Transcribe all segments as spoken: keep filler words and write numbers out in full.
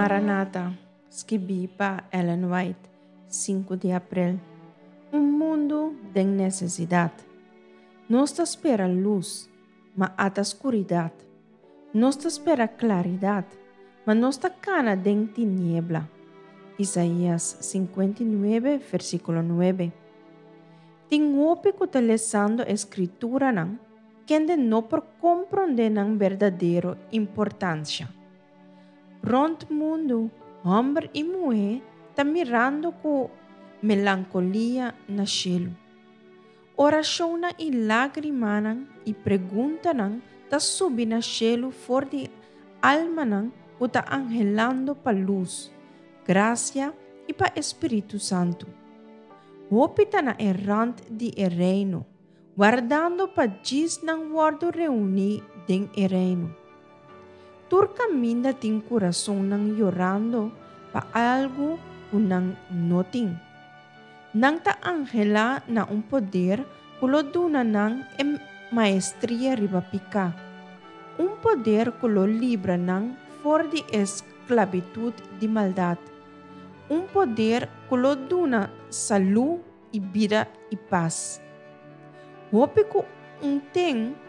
Maranata, skibí pa Ellen White, sinku di aprel. Un mundu den nesesidat. Nos ta spera lus, ma ata skuridat. Nos ta spera klaridat, ma nos ta kana den tiniebla. Isaías sinkuenta i nuebe, versíkulo nuebe. Tin hopi ku ta lesando e Skrituranan, kende no por komprondé nan berdadero importansha. Rònt mundu, hòmber i muhé ta mirando ku melankolia na shelu. Orashonnan i lágrimanan i preguntanan ta subi na shelu for di almanan ku ta anhelando pa lus, grasia i pa e Spiritu Santu. Hopi ta na e rant di e reino, wardando pa djis nan wòrdu reuní den e reino. Tur kaminda tin kurasonnan yorando pa algu ku nan no tin. Nan ta anhelá na un poder ku lo duna nan e maestria riba piká, un poder ku lo libra nan for di e sklabitut di maldat, un poder ku lo duna salú i bida i pas. Hopi ku un ten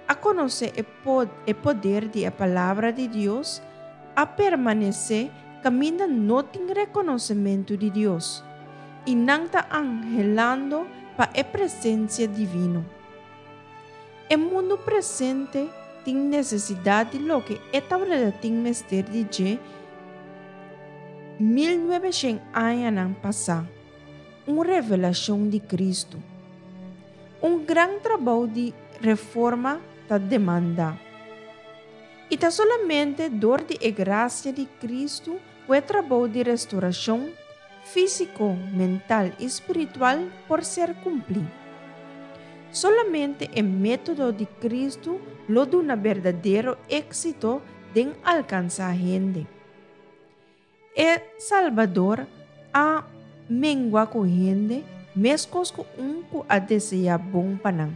a konosé e e poder di e Palabra di Dios a permanesé kaminda no tin rekonosementu di Dios, i nan ta anhelando pa e presensia divino. E mundu presente tin nesesidat di loke e tabata tin mester di dje mil nuebeshen añanan pasá, un revelashon di Kristu. Un gran trabou di reforma ta demandá. I ta solamente dor di e grasia di Kristu ku e trabou di restorashon físiko, mental i spiritual por ser kumplí. Solamente e método di Kristu lo duna berdadero éksito den alkansá hende. E Salbador a mengua ku hende meskos ku un ku a deseá bon pa nan.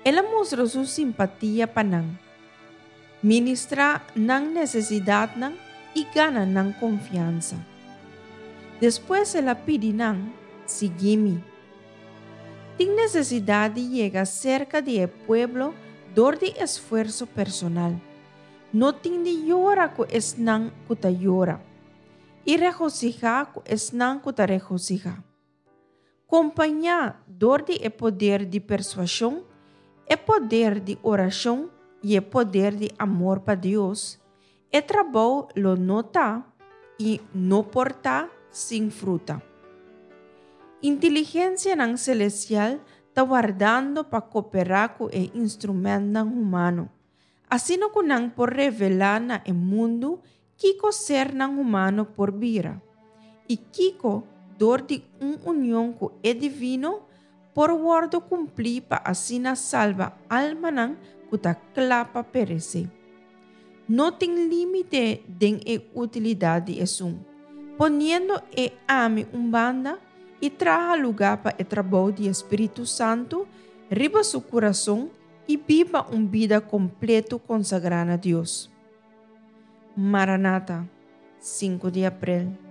El a mustra su simpatia pa nan, ministrá nan nesesidatnan i gana nan konfiansa. Despues el a pidi nan, Sigui mi. Tin nesesidat di yega serka di e pueblo dor di esfuerso personal. No tin di yora ku esnan ku ta yora, i regosihá ku esnan ku ta regosihá. Kompañá dor di e poder di persuashon, e poder di orashon i e poder di amor pa Dios, e trabou lo no ta i no por ta sin fruta. Inteligensianan selestial ta wardando pa koperá ku e instrumentnan humano, asina ku nan por revelá na e mundu kiko sernan humano por bira, i kiko, dor di un union ku e divino, por wòrdu kumplí pa asina salba almanan ku ta kla pa peresé. No tin límite den e utilidat di esun, poniendo e ami un banda i traha lugá pa e trabou di e Spiritu Santu riba su kurason i biba un bida kompleto konsagrá na Dios. Maranata, sinku di aprel.